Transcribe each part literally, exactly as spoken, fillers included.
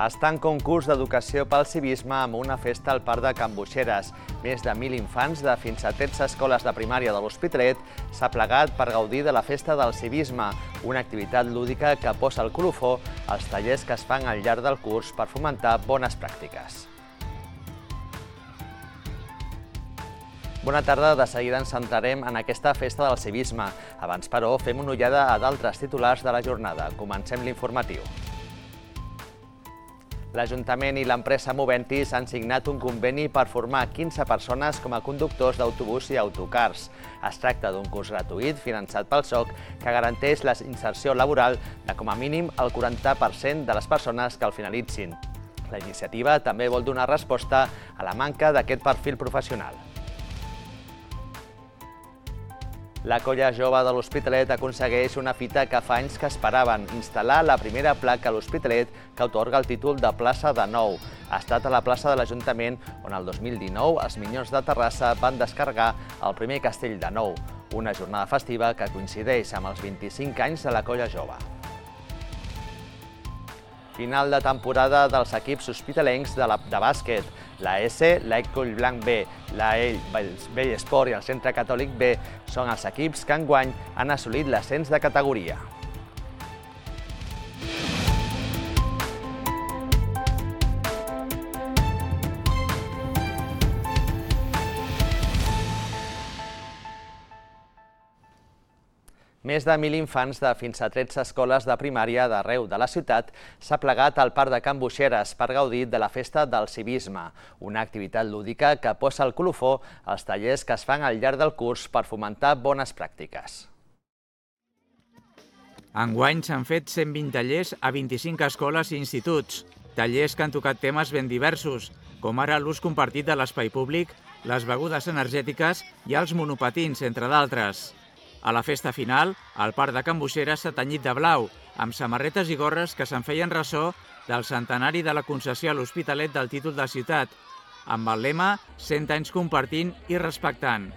Està en concurs d'educació pel civisme amb una festa al Parc de Can Boixeres. Més de mil infants de fins a tretze escoles de primària de l'Hospitalet s'ha plegat per gaudir de la festa del civisme, una activitat lúdica que posa el colofó als tallers que es fan al llarg del curs per fomentar bones pràctiques. Bona tarda, de seguida ens centrarem en aquesta festa del civisme. Abans, però, fem una ullada a d'altres titulars de la jornada. Comencem l'informatiu. L'Ajuntament i l'empresa Moventis han signat un conveni per formar quinze persones com a conductors d'autobús i autocars. Es tracta d'un curs gratuït finançat pel S O C que garanteix la inserció laboral de com a mínim el quaranta per cent de les persones que el finalitzin. La iniciativa també vol donar resposta a la manca d'aquest perfil professional. La Colla Jove de l'Hospitalet aconsegueix una fita que fa anys que esperaven, instal·lar la primera placa a l'Hospitalet que atorga el títol de plaça de Nou. Ha estat a la plaça de l'Ajuntament on el dos mil dinou els Minyons de Terrassa van descarregar el primer castell de Nou, una jornada festiva que coincideix amb els vint-i-cinc anys de la Colla Jove. Final de temporada dels equips hospitalencs de, la, de bàsquet. La S, l'Ecol Blanc B, la E, el Vell Esport i el Centre Catòlic B són els equips que enguany han assolit l'ascens de categoria. Més de mil infants de fins a tretze escoles de primària d'arreu de la ciutat s'ha plegat al Parc de Can Boixeres per gaudir de la festa del civisme, una activitat lúdica que posa el colofó als tallers que es fan al llarg del curs per fomentar bones pràctiques. Enguany s'han fet cent vint tallers a vint-i-cinc escoles i instituts, tallers que han tocat temes ben diversos, com ara l'ús compartit de l'espai públic, les begudes energètiques i els monopatins, entre d'altres. A la festa final, el Parc de Can Boixeres s'ha tenyit de blau, amb samarretes i gorres que se'n feien ressò del centenari de la concessió a l'Hospitalet del títol de ciutat, amb el lema cent anys compartint i respectant.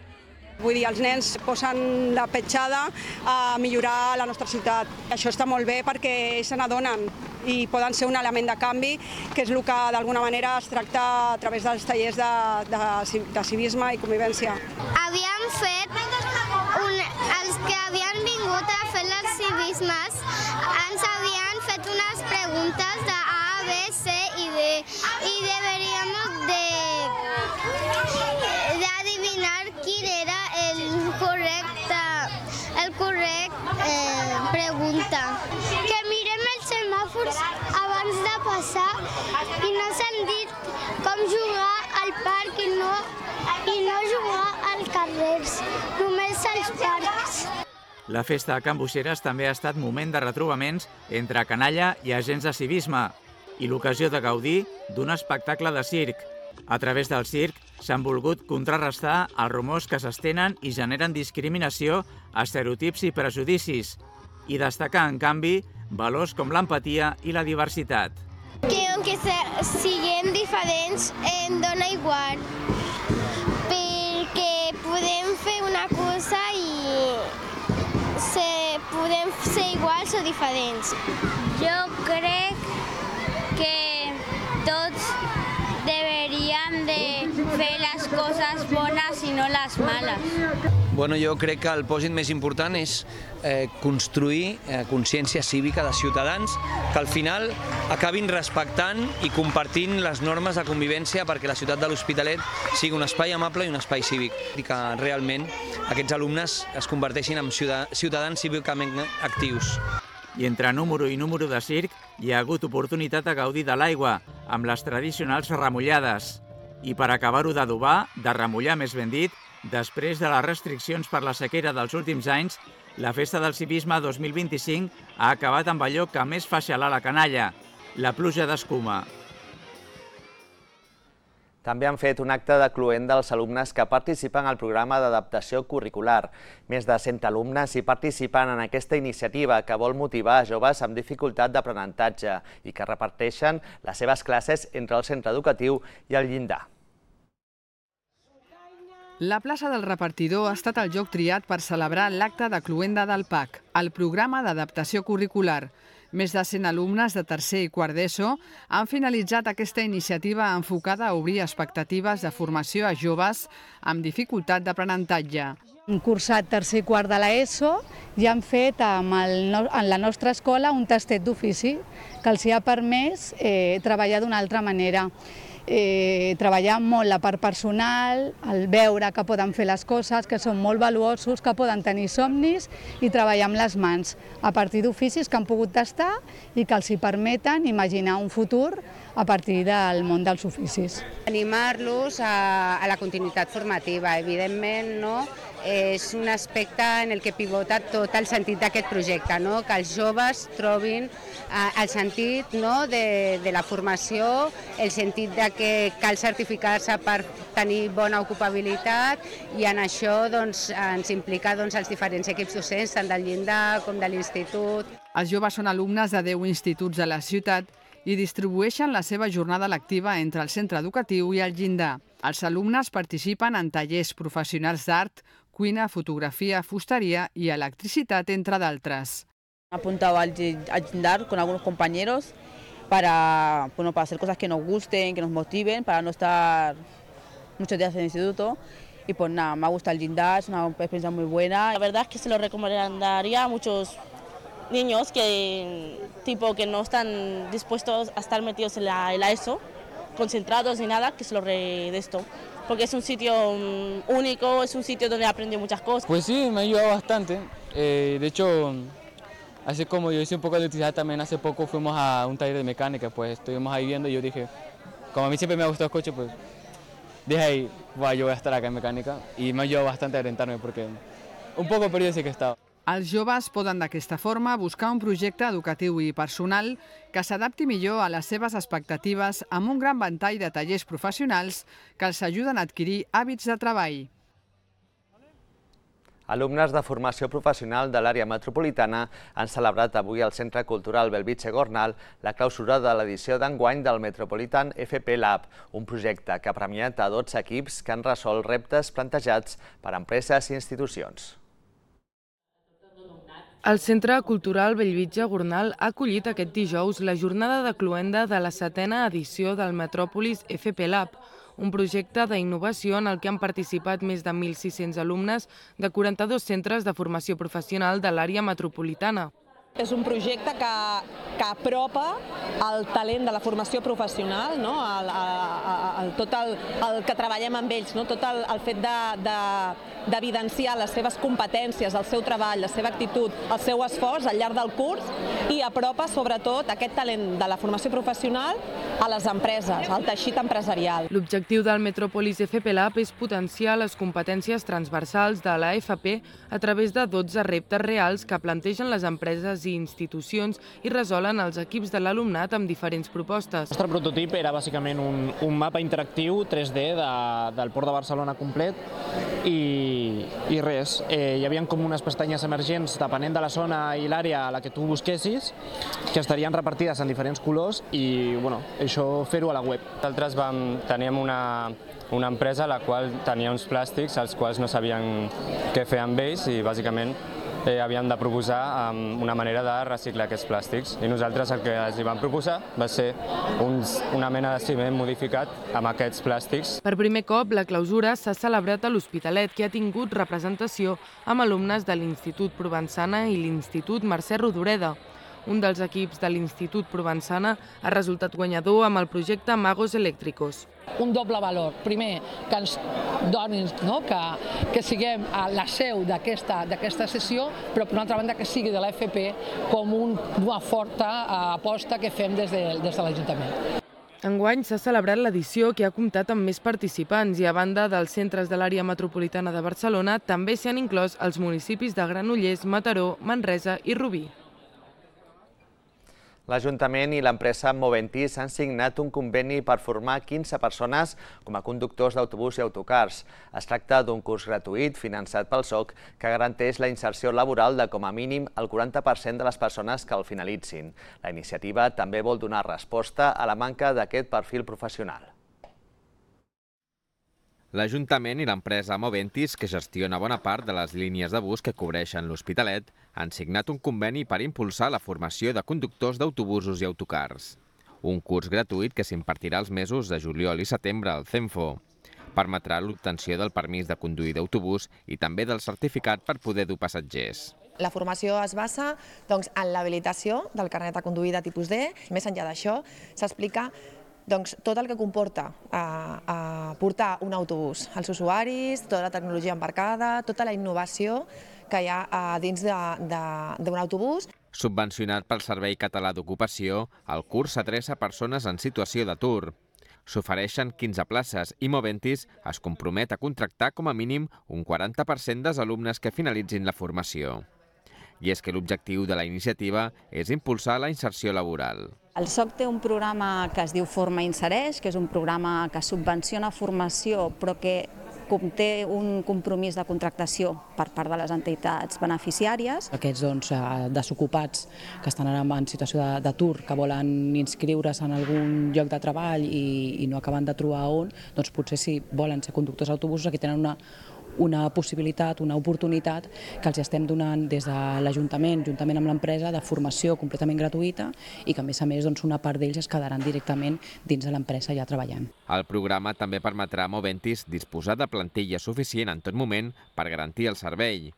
Vull dir, els nens posen la petjada a millorar la nostra ciutat. Això està molt bé perquè ells se n'adonen i poden ser un element de canvi, que és el que d'alguna manera es tracta a través dels tallers de, de, de civisme i convivència. Havíem fet, un, els que havien vingut a fer els civismes, ens havien fet unes preguntes de A, B, C i D i deberíamos de, de adivinar quin era el correcte, el correcte eh, pregunta. Que mirem els semàfors abans de passar i no s'han dit com jugar al parc i no, i no jugar als carrers, només als parcs. La festa de Can Boixeres també ha estat moment de retrobaments entre canalla i agents de civisme i l'ocasió de gaudir d'un espectacle de circ. A través del circ s'han volgut contrarrestar els rumors que s'estenen i generen discriminació, estereotips i prejudicis, i destacar, en canvi, valors com l'empatia i la diversitat. Que aunque siguem diferents em dona igual, perquè podem fer una cosa i se, podem ser iguals o diferents. Jo crec que tots deberíem de fer les coses bones i no les males. Bueno, jo crec que el pòsit més important és eh, construir eh, consciència cívica de ciutadans que al final acabin respectant i compartint les normes de convivència perquè la ciutat de l'Hospitalet sigui un espai amable i un espai cívic i que realment aquests alumnes es converteixin en ciutadans cívicament actius. I entre número i número de circ hi ha hagut oportunitat de gaudir de l'aigua, amb les tradicionals remullades. I per acabar-ho d'adobar, de remullar més ben dit, després de les restriccions per la sequera dels últims anys, la Festa del Civisme dos mil vint-i-cinc ha acabat amb allò que més fa xalar la canalla, la pluja d'escuma. També han fet un acte de cloent dels alumnes que participen al programa d'adaptació curricular. Més de cent alumnes hi participen en aquesta iniciativa que vol motivar a joves amb dificultat d'aprenentatge i que reparteixen les seves classes entre el centre educatiu i el llindar. La plaça del repartidor ha estat el lloc triat per celebrar l'acte de cloenda del P A C, el programa d'adaptació curricular. Més de cent alumnes de tercer i quart d'ESO han finalitzat aquesta iniciativa enfocada a obrir expectatives de formació a joves amb dificultat d'aprenentatge. Han cursat tercer i quart de l'ESO i han fet amb el, en la nostra escola un tastet d'ofici que els ha permès eh, treballar d'una altra manera. Eh, treballar molt la part personal, el veure que poden fer les coses, que són molt valuosos, que poden tenir somnis i treballar amb les mans a partir d'oficis que han pogut tastar i que els hi permeten imaginar un futur a partir del món dels oficis. Animar-los a, a la continuïtat formativa, evidentment, no? És un aspecte en el que pivota tot el sentit d'aquest projecte, no? Que els joves trobin eh, el sentit, no? de, de la formació, el sentit de que cal certificar-se per tenir bona ocupabilitat i en això doncs, ens implica doncs, els diferents equips docents, tant del llindar com de l'institut. Els joves són alumnes de deu instituts de la ciutat i distribueixen la seva jornada lectiva entre el centre educatiu i el llindar. Els alumnes participen en tallers professionals d'art, cuina, fotografía, fustería y electricidad, entre d'altres. Me he apuntado al llindar con algunos compañeros para, bueno, para hacer cosas que nos gusten, que nos motiven, para no estar muchos días en el instituto. Y pues nada, me ha gustado el llindar, es una experiencia muy buena. La verdad es que se lo recomendaría a muchos niños que, tipo, que no están dispuestos a estar metidos en la, en la ESO, concentrados ni nada, que se lo re de esto. Porque es un sitio único, es un sitio donde aprendí muchas cosas. Pues sí, me ha ayudado bastante. Eh, de hecho, así como yo hice un poco de electricidad también, hace poco fuimos a un taller de mecánica, pues estuvimos ahí viendo y yo dije, como a mí siempre me ha gustado el coche, pues dije ahí, bueno, yo voy a estar acá en mecánica y me ha ayudado bastante a orientarme porque un poco perdido sí que estaba. Els joves poden d'aquesta forma buscar un projecte educatiu i personal que s'adapti millor a les seves expectatives amb un gran ventall de tallers professionals que els ajuden a adquirir hàbits de treball. Alumnes de formació professional de l'àrea metropolitana han celebrat avui al Centre Cultural Belvitge Gornal la clausura de l'edició d'enguany del Metropolitan F P Lab, un projecte que ha premiat a dotze equips que han resolt reptes plantejats per empreses i institucions. El Centre Cultural Bellvitge Gornal ha acollit aquest dijous la jornada de cloenda de la setena edició del Metròpolis F P Lab, un projecte d'innovació en el que han participat més de mil sis-cents alumnes de quaranta-dos centres de formació professional de l'àrea metropolitana. És un projecte que, que apropa el talent de la formació professional, no? el, el, el, tot el, el que treballem amb ells, no? Tot el, el fet d'evidenciar de, de, les seves competències, el seu treball, la seva actitud, el seu esforç al llarg del curs i apropa sobretot aquest talent de la formació professional a les empreses, al teixit empresarial. L'objectiu del Metròpolis F P Lab és potenciar les competències transversals de l'A F P a través de dotze reptes reals que plantegen les empreses i institucions i resolen els equips de l'alumnat amb diferents propostes. El nostre prototip era bàsicament un, un mapa interactiu tres D de, del Port de Barcelona complet i, i res. Eh, hi havia com unes pestanyes emergents depenent de la zona i l'àrea a la que tu busquessis que estarien repartides en diferents colors i bueno, això fer-ho a la web. Nosaltres vam, teníem una, una empresa a la qual tenia uns plàstics als quals no sabien què fer amb ells i bàsicament Eh, havíem de proposar um, una manera de reciclar aquests plàstics i nosaltres el que els hi vam proposar va ser uns, una mena de ciment modificat amb aquests plàstics. Per primer cop, la clausura s'ha celebrat a l'Hospitalet, que ha tingut representació amb alumnes de l'Institut Provençana i l'Institut Mercè Rodoreda. Un dels equips de l'Institut Provençana ha resultat guanyador amb el projecte Magos Eléctricos. Un doble valor. Primer, que ens donin, no? que, que siguem a la seu d'aquesta sessió, però per una altra banda que sigui de l'F P com un, una forta aposta que fem des de, des de l'Ajuntament. Enguany s'ha celebrat l'edició que ha comptat amb més participants i a banda dels centres de l'àrea metropolitana de Barcelona també s'hi han inclòs els municipis de Granollers, Mataró, Manresa i Rubí. L'Ajuntament i l'empresa Moventís han signat un conveni per formar quinze persones com a conductors d'autobús i autocars. Es tracta d'un curs gratuït finançat pel S O C que garanteix la inserció laboral de com a mínim el quaranta per cent de les persones que el finalitzin. La iniciativa també vol donar resposta a la manca d'aquest perfil professional. L'Ajuntament i l'empresa Moventis, que gestiona bona part de les línies de bus que cobreixen l'Hospitalet, han signat un conveni per impulsar la formació de conductors d'autobusos i autocars. Un curs gratuït que s'impartirà els mesos de juliol i setembre al CENFO. Permetrà l'obtenció del permís de conduir d'autobús i també del certificat per poder dur passatgers. La formació es basa doncs, en l'habilitació del carnet de conduir de tipus D. Més enllà d'això, s'explica doncs, tot el que comporta a, a portar un autobús als usuaris, tota la tecnologia embarcada, tota la innovació que hi ha a dins d'un autobús. Subvencionat pel Servei Català d'Ocupació, el curs s'adreça a persones en situació d'atur. S'ofereixen quinze places i Moventis es compromet a contractar com a mínim un quaranta per cent dels alumnes que finalitzin la formació. I és que l'objectiu de la iniciativa és impulsar la inserció laboral. El S O C té un programa que es diu Forma Insereix, que és un programa que subvenciona formació però que conté un compromís de contractació per part de les entitats beneficiàries. Aquests doncs, desocupats que estan ara en situació d'atur, que volen inscriure's en algun lloc de treball i, i no acaben de trobar on, doncs potser si volen ser conductors d'autobusos aquí tenen una una possibilitat, una oportunitat que els estem donant des de l'Ajuntament, juntament amb l'empresa, de formació completament gratuïta i que a més a més doncs, una part d'ells es quedaran directament dins de l'empresa ja treballant. El programa també permetrà a Moventis disposar de plantilla suficient en tot moment per garantir el servei.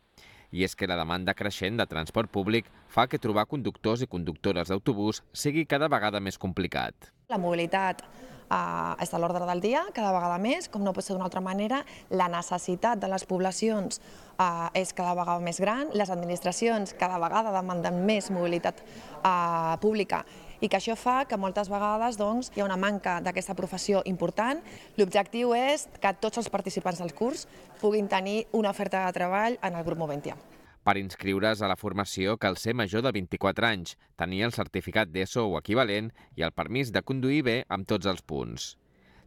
I és que la demanda creixent de transport públic fa que trobar conductors i conductores d'autobús sigui cada vegada més complicat. La mobilitat Uh, és a l'ordre del dia, cada vegada més, com no pot ser d'una altra manera. La necessitat de les poblacions uh, és cada vegada més gran, les administracions cada vegada demanden més mobilitat uh, pública i que això fa que moltes vegades doncs, hi ha una manca d'aquesta professió important. L'objectiu és que tots els participants del curs puguin tenir una oferta de treball en el grup Moventià. Per inscriure's a la formació cal ser major de vint-i-quatre anys, tenir el certificat d'ESO o equivalent i el permís de conduir bé amb tots els punts.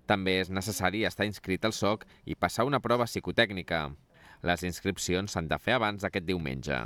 També és necessari estar inscrit al S O C i passar una prova psicotècnica. Les inscripcions s'han de fer abans d'aquest diumenge.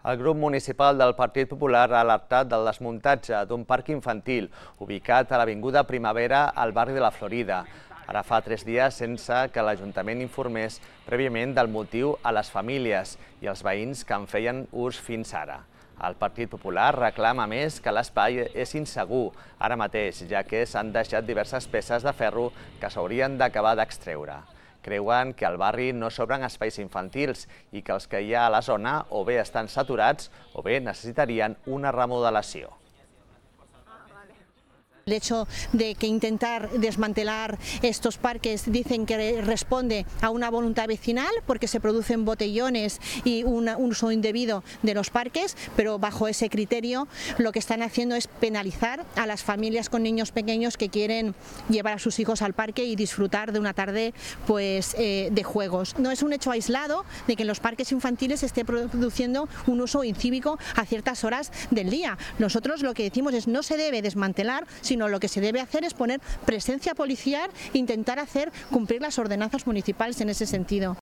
El grup municipal del Partit Popular ha alertat del desmuntatge d'un parc infantil ubicat a l'Avinguda Primavera al barri de la Florida. Ara fa tres dies sense que l'Ajuntament informés prèviament del motiu a les famílies i als veïns que en feien ús fins ara. El Partit Popular reclama més que l'espai és insegur ara mateix, ja que s'han deixat diverses peces de ferro que s'haurien d'acabar d'extreure. Creuen que al barri no s'obren espais infantils i que els que hi ha a la zona o bé estan saturats o bé necessitarien una remodelació. El hecho de que intentar desmantelar estos parques dicen que responde a una voluntad vecinal porque se producen botellones y un uso indebido de los parques, pero bajo ese criterio lo que están haciendo es penalizar a las familias con niños pequeños que quieren llevar a sus hijos al parque y disfrutar de una tarde pues, eh, de juegos. No es un hecho aislado de que en los parques infantiles se esté produciendo un uso incívico a ciertas horas del día. Nosotros lo que decimos es no se debe desmantelar, sino lo que se debe hacer es poner presencia policial e intentar hacer cumplir las ordenanzas municipales en ese sentido.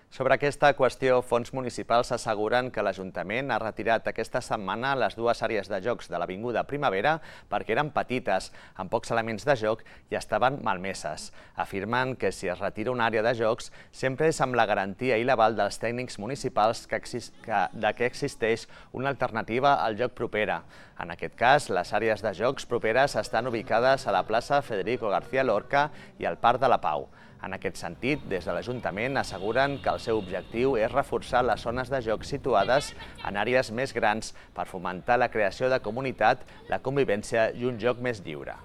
Sobre aquesta qüestió, fons municipals asseguren que l'Ajuntament ha retirat aquesta setmana les dues àrees de jocs de l'Avinguda Primavera perquè eren petites, amb pocs elements de joc i estaven malmeses. Afirmen que si es retira una àrea de jocs sempre és amb la garantia i l'aval dels tècnics municipals que de que existeix una alternativa al joc propera. En aquest cas, les àrees de jocs properes estan ubicades a la plaça Federico García Lorca i al Parc de la Pau. En aquest sentit, des de l'Ajuntament asseguren que el seu objectiu és reforçar les zones de joc situades en àrees més grans per fomentar la creació de comunitat, la convivència i un joc més lliure.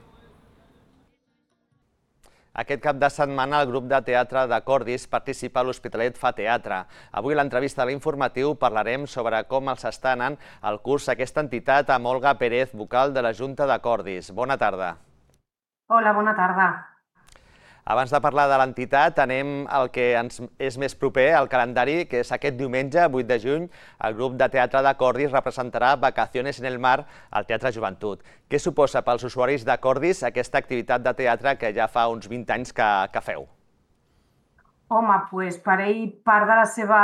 Aquest cap de setmana el grup de teatre de Cordis participa a l'Hospitalet Fa Teatre. Avui a l'entrevista a l'informatiu parlarem sobre com els està anant el curs aquesta entitat amb Olga Pérez, vocal de la Junta de Cordis. Bona tarda. Hola, bona tarda. Abans de parlar de l'entitat, anem al que ens és més proper al calendari, que és aquest diumenge, vuit de juny, el grup de teatre de Cordis representarà Vacaciones en el Mar al Teatre Joventut. Què suposa pels usuaris de Cordis aquesta activitat de teatre que ja fa uns vint anys que, que feu? Home, doncs per ell part de la seva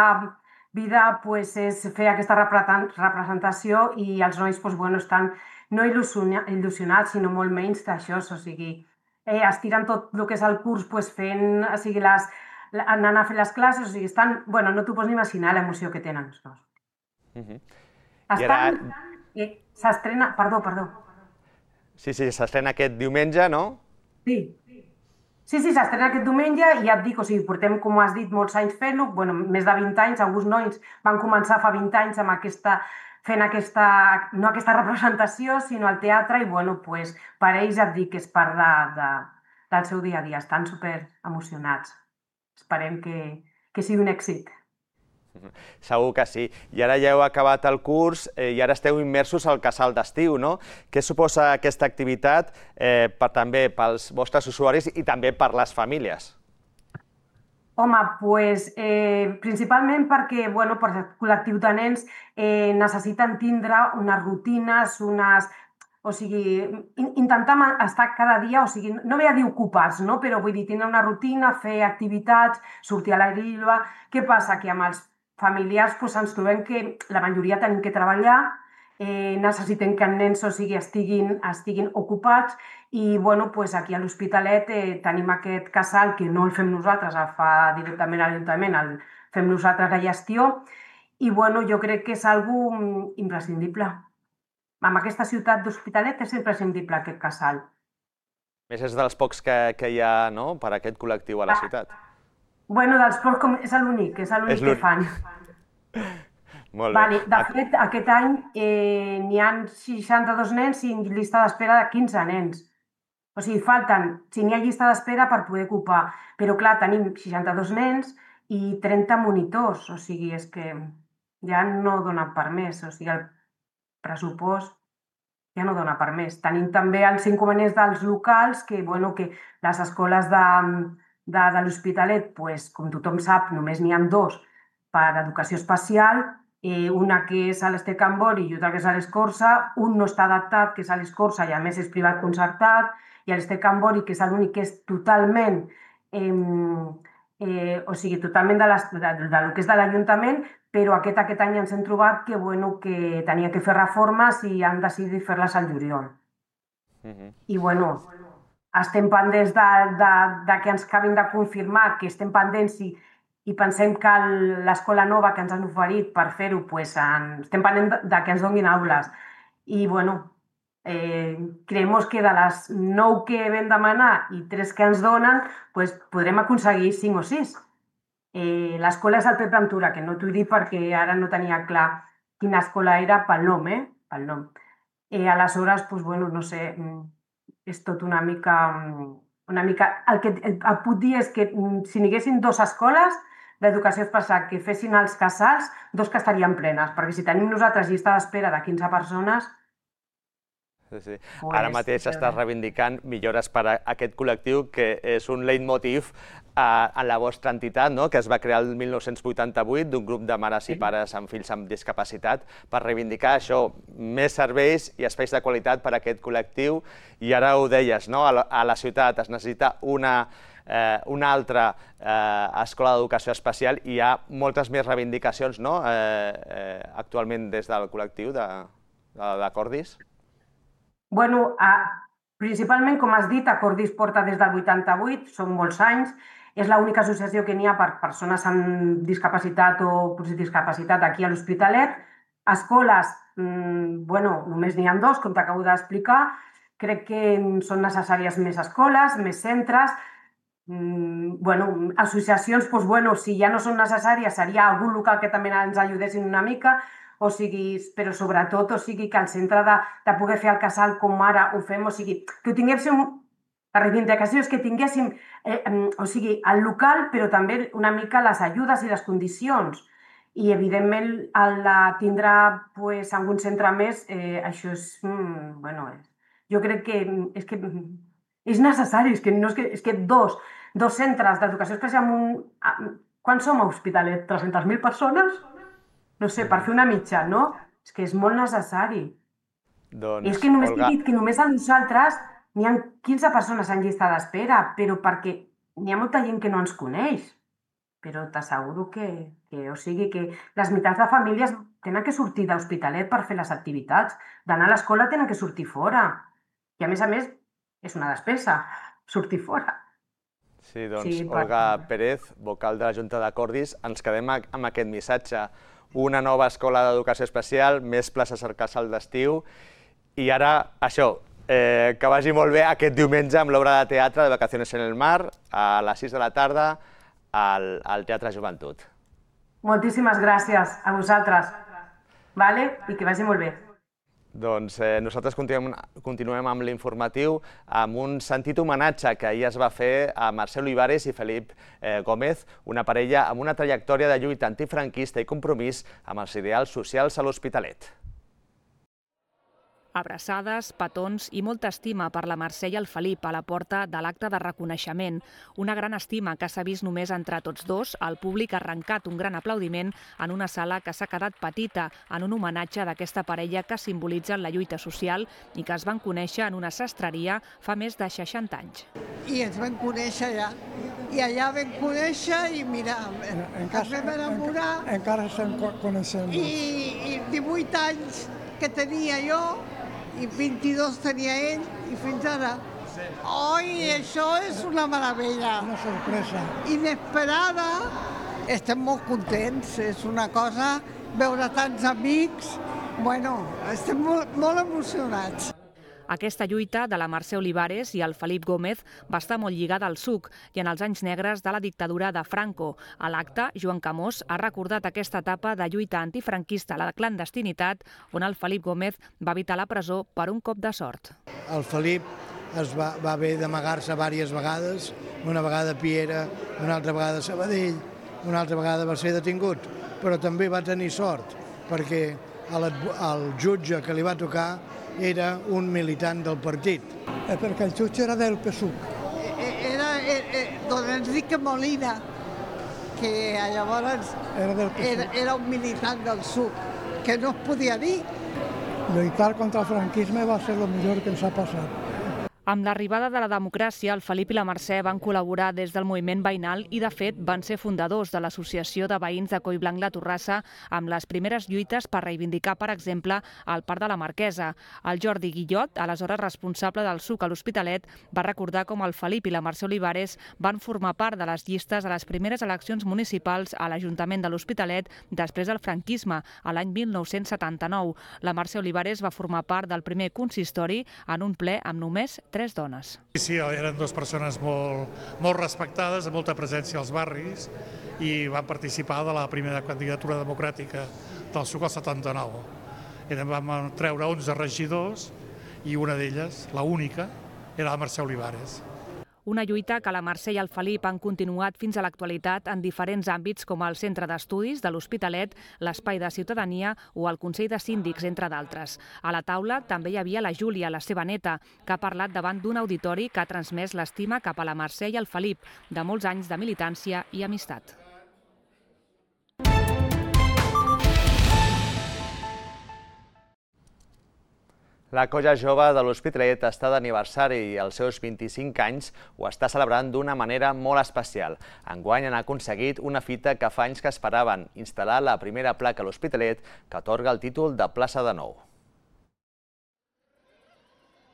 vida pues, és fer aquesta representació i els nois pues, bueno, estan no il·lusionats, sinó molt menys d'això, o sigui, estiren tot el que és el curs fent, o sigui, anant a fer les classes, o sigui, estan, bueno, no t'ho pots ni imaginar l'emoció que tenen els dos. Estan, s'estrena, perdó, perdó. Sí, sí, s'estrena aquest diumenge, no? Sí. Sí, sí, s'estrena aquest diumenge i ja et dic, o sigui, portem, com has dit, molts anys fent-lo, bueno, més de vint anys, alguns nois van començar fa vint anys amb aquesta, fent aquesta, no aquesta representació, sinó el teatre, i bueno, pues, per ells et dic que és part de, de, del seu dia a dia, estan super emocionats. Esperem que, que sigui un èxit. Segur que sí. I ara ja heu acabat el curs eh, i ara esteu immersos al casal d'estiu, no? Què suposa aquesta activitat eh, per, també pels vostres usuaris i també per les famílies? Home, pues, eh, principalment perquè, bueno, per el col·lectiu de nens eh, necessiten tindre unes rutines, unes... O sigui, intentar estar cada dia, o sigui, no ve a dir ocupats, no? Però vull dir, tindre una rutina, fer activitats, sortir a l'aire lliure. Què passa? Que amb els familiars pues, ens trobem que la majoria tenim que treballar, eh, necessitem que els nens o sigui, estiguin, estiguin ocupats i bueno, pues, aquí a l'Hospitalet eh, tenim aquest casal que no el fem nosaltres, el fa directament a l'Ajuntament, el fem nosaltres la gestió i bueno, jo crec que és algo imprescindible. En aquesta ciutat d'Hospitalet és imprescindible aquest casal. A més, és dels pocs que, que hi ha no? Per aquest col·lectiu a la ciutat. Bueno, dels pocs com... és l'únic, és l'únic que fan. Molt bé. Vale, de fet, aquest any eh, n'hi ha seixanta-dos nens i llista d'espera de quinze nens. O sigui, falten, si n'hi ha llista d'espera per poder ocupar. Però clar, tenim seixanta-dos nens i trenta monitors. O sigui, és que ja no dona per més. O sigui, el pressupost ja no dona per més. Tenim també els inconvenients dels locals, que, bueno, que les escoles de, de, de l'Hospitalet, pues, com tothom sap, només n'hi ha dos per educació especial, eh, una que és a l'Ester Can Bori i altra que és a l'Escorça, un no està adaptat, que és a l'Escorça, i a més és privat concertat, i a l'Ester Can Bori, que és l'únic que és totalment, eh, eh, o sigui, totalment de, les, de, de, de lo que és de l'Ajuntament, però aquest, aquest any ens hem trobat que, bueno, que tenia que fer reformes i han decidit fer-les al juliol. Uh -huh. I bueno, estem pendents de, de, de que ens acabin de confirmar, que estem pendents i, i pensem que l'escola nova que ens han oferit per fer-ho, pues, en, estem pendents de, de que ens donin aules. I bueno, eh, creiem que de les nou que vam demanar i tres que ens donen, pues, podrem aconseguir cinc o sis. Eh, l'escola és el Pep Ventura, que no t'ho he dit perquè ara no tenia clar quina escola era pel nom, eh? Pel nom. Eh, aleshores, pues, bueno, no sé, és tot una mica... Una mica... El que et puc dir és que si n'hi haguessin dues escoles d'educació especial que fessin els casals, dos que estarien plenes, perquè si tenim nosaltres llista d'espera de quinze persones... Sí, sí. Ara mateix estàs reivindicant millores per a aquest col·lectiu, que és un leitmotiv a la vostra entitat, que es va crear el mil nou-cents vuitanta-vuit d'un grup de mares i pares amb fills amb discapacitat per reivindicar això, més serveis i espais de qualitat per a aquest col·lectiu. I ara ho deies, a la ciutat es necessita una una altra escola d'educació especial i hi ha moltes més reivindicacions actualment des del col·lectiu de Cordis. Bueno, principalment, com has dit, Cordis porta des del vuitanta-vuit, són molts anys, és l'única associació que n'hi ha per persones amb discapacitat o discapacitat aquí a l'Hospitalet. Escoles, bueno, només n'hi ha dos, com t'acabo d'explicar. Crec que són necessàries més escoles, més centres. Bueno, associacions, doncs, bueno, si ja no són necessàries, seria algun local que també ens ajudessin una mica, o sigui, però sobretot, o sigui, que el centre de, de poder fer el casal com ara ho fem, o sigui, que ho tinguéssim, la reivindicació és que tinguéssim, eh, o sigui, el local, però també una mica les ajudes i les condicions. I, evidentment, el de tindre pues, algun centre més, eh, això és, mm, bueno, jo crec que és, que és necessari, és que, no és, que, és que dos, dos centres d'educació especial, un, quan som a Hospitalet? tres-centes mil persones? No sé, per fer una mitja, no? És que és molt necessari. Doncs, és que només Olga... he dit que només a nosaltres n'hi ha quinze persones en llista d'espera, però perquè n'hi ha molta gent que no ens coneix. Però t'asseguro que, que, o sigui, que les meitats de famílies tenen que sortir d'Hospitalet per fer les activitats. D'anar a l'escola tenen que sortir fora. I a més a més, és una despesa. sortir fora. Sí, doncs Olga Pérez, vocal de la Junta de Cordis, ens quedem amb aquest missatge. Una nova escola d'educació especial, més places al casal d'estiu i ara això, que vagi molt bé aquest diumenge amb l'obra de teatre de Vacaciones en el Mar a les sis de la tarda al Teatre Joventut. Moltíssimes gràcies a vosaltres i que vagi molt bé. Doncs nosaltres continuem amb l'informatiu amb un sentit homenatge que ahir es va fer a Mercè Olivares i Felip Gómez, una parella amb una trajectòria de lluita antifranquista i compromís amb els ideals socials a l'Hospitalet. Abraçades, petons i molta estima per la Mercè i el Felip a la porta de l'acte de reconeixement. Una gran estima que s'ha vist només entre tots dos. El públic ha arrencat un gran aplaudiment en una sala que s'ha quedat petita en un homenatge d'aquesta parella que simbolitza la lluita social i que es van conèixer en una sastreria fa més de seixanta anys. I ens vam conèixer allà. I allà vam conèixer i mira, ens vam enamorar. Encara estem coneixent. I divuit anys que tenia jo i vint-i-dos tenia ell i fins ara. Oi, això és una meravella. Una sorpresa. Inesperada. Estem molt contents, és una cosa, veure tants amics, bueno, estem molt, molt emocionats. Aquesta lluita de la Mercè Olivares i el Felip Gómez va estar molt lligada al suc i en els anys negres de la dictadura de Franco. A l'acte, Joan Camós ha recordat aquesta etapa de lluita antifranquista a la clandestinitat on el Felip Gómez va evitar la presó per un cop de sort. El Felip es va, va haver d'amagar-se diverses vegades, una vegada a Piera, una altra vegada a Sabadell, una altra vegada va ser detingut, però també va tenir sort perquè el jutge que li va tocar era un militant del partit. Perquè el jutge era del P SUC. Era don Enrique Molina, que llavors era un militant del P SUC, que no es podia dir. Lluitar contra el franquisme va ser el millor que ens ha passat. Amb l'arribada de la democràcia, el Felip i la Mercè van col·laborar des del moviment veïnal i, de fet, van ser fundadors de l'Associació de Veïns de Collblanc La Torrassa amb les primeres lluites per reivindicar, per exemple, el Parc de la Marquesa. El Jordi Guillot, aleshores responsable del SUC a l'Hospitalet, va recordar com el Felip i la Mercè Olivares van formar part de les llistes a les primeres eleccions municipals a l'Ajuntament de l'Hospitalet després del franquisme, a l'any mil nou-cents setanta-nou. La Mercè Olivares va formar part del primer consistori en un ple amb només tres dones. Sí, eren dues persones molt, molt respectades, amb molta presència als barris i van participar de la primera candidatura democràtica del SUC al setanta-nou. Vam treure onze regidors i una d'elles, la única, era la Mercè Olivares. Una lluita que la Mercè i el Felip han continuat fins a l'actualitat en diferents àmbits com el Centre d'Estudis de l'Hospitalet, l'Espai de Ciutadania o el Consell de Síndics, entre d'altres. A la taula també hi havia la Júlia, la seva neta, que ha parlat davant d'un auditori que ha transmès l'estima cap a la Mercè i el Felip, de molts anys de militància i amistat. La Colla Jove de l'Hospitalet està d'aniversari i els seus vint-i-cinc anys ho està celebrant d'una manera molt especial. Enguany han aconseguit una fita que fa anys que esperaven, instal·lar la primera placa a l'Hospitalet que atorga el títol de plaça de Nou.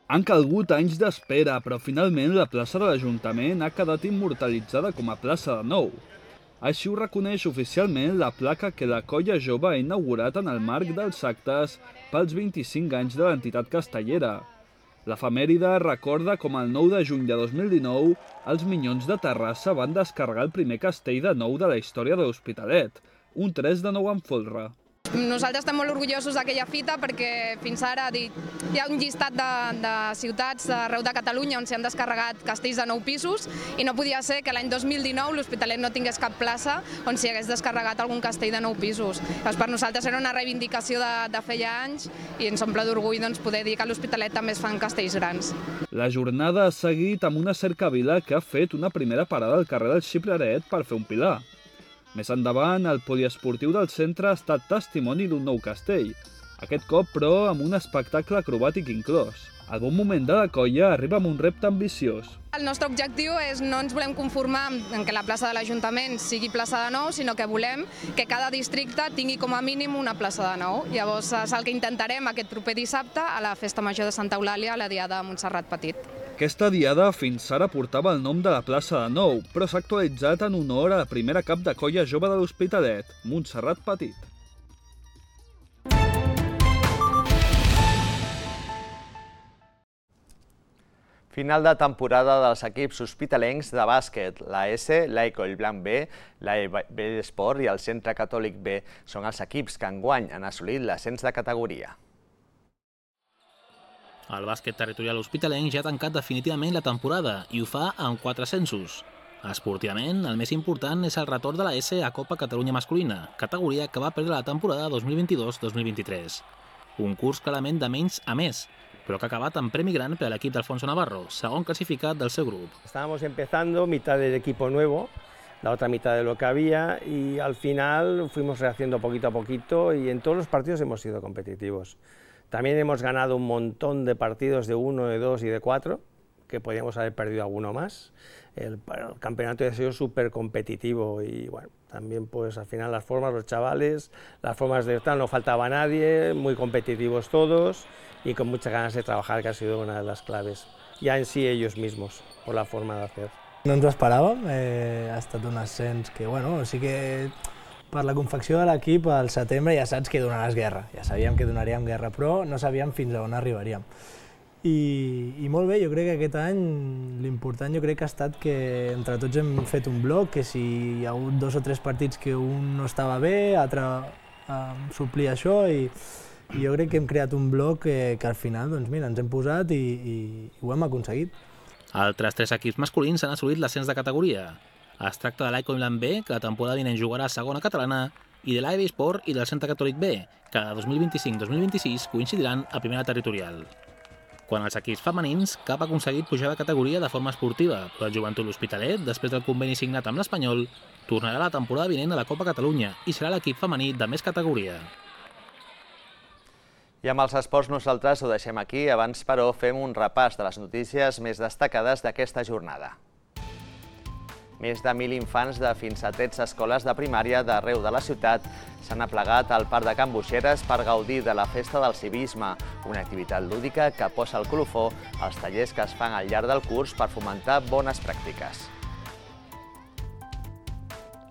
Han calgut anys d'espera, però finalment la plaça de l'Ajuntament ha quedat immortalitzada com a plaça de Nou. Així ho reconeix oficialment la placa que la Colla Jove ha inaugurat en el marc dels actes pels vint-i-cinc anys de l'entitat castellera. L'efemèride recorda com el nou de juny de dos mil dinou els Minyons de Terrassa van descarregar el primer castell de nou de la història de l'Hospitalet, un tres de nou en folre. Nosaltres estem molt orgullosos d'aquella fita perquè fins ara hi ha un llistat de, de ciutats arreu de Catalunya on s'han descarregat castells de nou pisos i no podia ser que l'any dos mil dinou l'Hospitalet no tingués cap plaça on s'hi hagués descarregat algun castell de nou pisos. Doncs per nosaltres era una reivindicació de, de feia anys i ens omple d'orgull doncs, poder dir que a l'Hospitalet també es fan castells grans. La jornada ha seguit amb una cercavila que ha fet una primera parada al carrer del Xipreret per fer un pilar. Més endavant, el poliesportiu del centre ha estat testimoni d'un nou castell, aquest cop, però, amb un espectacle acrobàtic inclòs. El bon moment de la colla arriba amb un repte ambiciós. El nostre objectiu és no ens volem conformar en que la plaça de l'Ajuntament sigui plaça de Nou, sinó que volem que cada districte tingui com a mínim una plaça de Nou. Llavors és el que intentarem aquest proper dissabte a la Festa Major de Santa Eulàlia, a la Diada de Montserrat Petit. Aquesta diada fins ara portava el nom de la plaça de Nou, però s'ha actualitzat en honor a la primera cap de colla jove de l'Hospitalet, Montserrat Petit. Final de temporada dels equips hospitalencs de bàsquet. La S, l'A E Collblanc B, l'A E Bellesport i el Centre Catòlic B són els equips que enguany han assolit l'ascens de categoria. El bàsquet territorial hospitalenc ja ha tancat definitivament la temporada i ho fa amb quatre ascensos. Esportivament, el més important és el retorn de la S a Copa Catalunya Masculina, categoria que va perdre la temporada dos mil vint-i-dos dos mil vint-i-tres. Un curs clarament de menys a més, però que ha acabat amb premi gran per a l'equip d'Alfonso Navarro, segon classificat del seu grup. Estábamos empezando, mitad del equipo nuevo, la otra mitad de lo que había, y al final fuimos rehaciendo poquito a poquito y en todos los partidos hemos sido competitivos. También hemos ganado un montón de partidos de uno, de dos y de cuatro, que podíamos haber perdido alguno más. El, el campeonato ha sido súper competitivo y bueno, también pues al final las formas, los chavales, las formas de estar, no faltaba nadie, muy competitivos todos y con muchas ganas de trabajar, que ha sido una de las claves. Ya en sí ellos mismos, por la forma de hacer. No ens ho esperàvem, eh, ha estat un ascens que, bueno, sí que per la confecció de l'equip al setembre ja saps que donaràs guerra, ja sabíem que donaríem guerra, però no sabíem fins a on arribaríem. I, i molt bé, jo crec que aquest any l'important jo crec que ha estat que entre tots hem fet un bloc, que si hi ha hagut dos o tres partits que un no estava bé, l'altre eh, suplia això i, i jo crec que hem creat un bloc que, que al final doncs, mira, ens hem posat i, i, i ho hem aconseguit. Altres tres equips masculins han assolit l'ascens de categoria. Es tracta de l'A E Collblanc B, que la temporada vinent jugarà a segona catalana, i de l'A E Bellesport i del Centre Catòlic B, que de dos mil vint-i-cinc dos mil vint-i-sis coincidiran a primera territorial. Quant als equips femenins, cap ha aconseguit pujar de categoria de forma esportiva, però el Joventut L'Hospitalet, després del conveni signat amb l'Espanyol, tornarà la temporada vinent a la Copa Catalunya i serà l'equip femení de més categoria. I amb els esports nosaltres ho deixem aquí. Abans, però, fem un repàs de les notícies més destacades d'aquesta jornada. Més de mil infants de fins a tretze escoles de primària d'arreu de la ciutat s'han aplegat al Parc de Can Buixeres per gaudir de la Festa del Civisme, una activitat lúdica que posa el colofó als tallers que es fan al llarg del curs per fomentar bones pràctiques.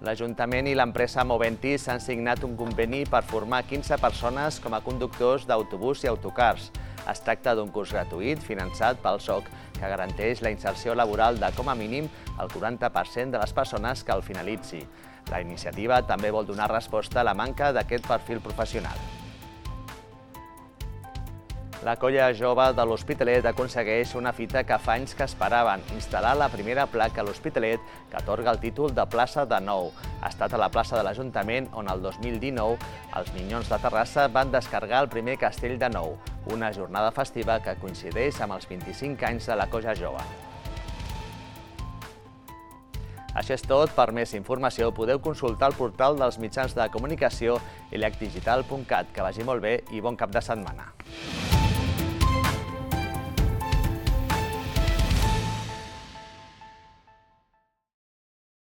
L'Ajuntament i l'empresa Moventis han signat un conveni per formar quinze persones com a conductors d'autobús i autocars. Es tracta d'un curs gratuït finançat pel S O C que garanteix la inserció laboral de com a mínim el quaranta per cent de les persones que el finalitzi. La iniciativa també vol donar resposta a la manca d'aquest perfil professional. La colla jove de l'Hospitalet aconsegueix una fita que fa anys que esperaven, instal·lar la primera placa a l'Hospitalet que atorga el títol de plaça de Nou. Ha estat a la plaça de l'Ajuntament on el dos mil dinou els Minyons de Terrassa van descarregar el primer castell de Nou, una jornada festiva que coincideix amb els vint-i-cinc anys de la colla jove. Això és tot. Per més informació podeu consultar el portal dels mitjans de comunicació elec digital punt cat. Que vagi molt bé i bon cap de setmana.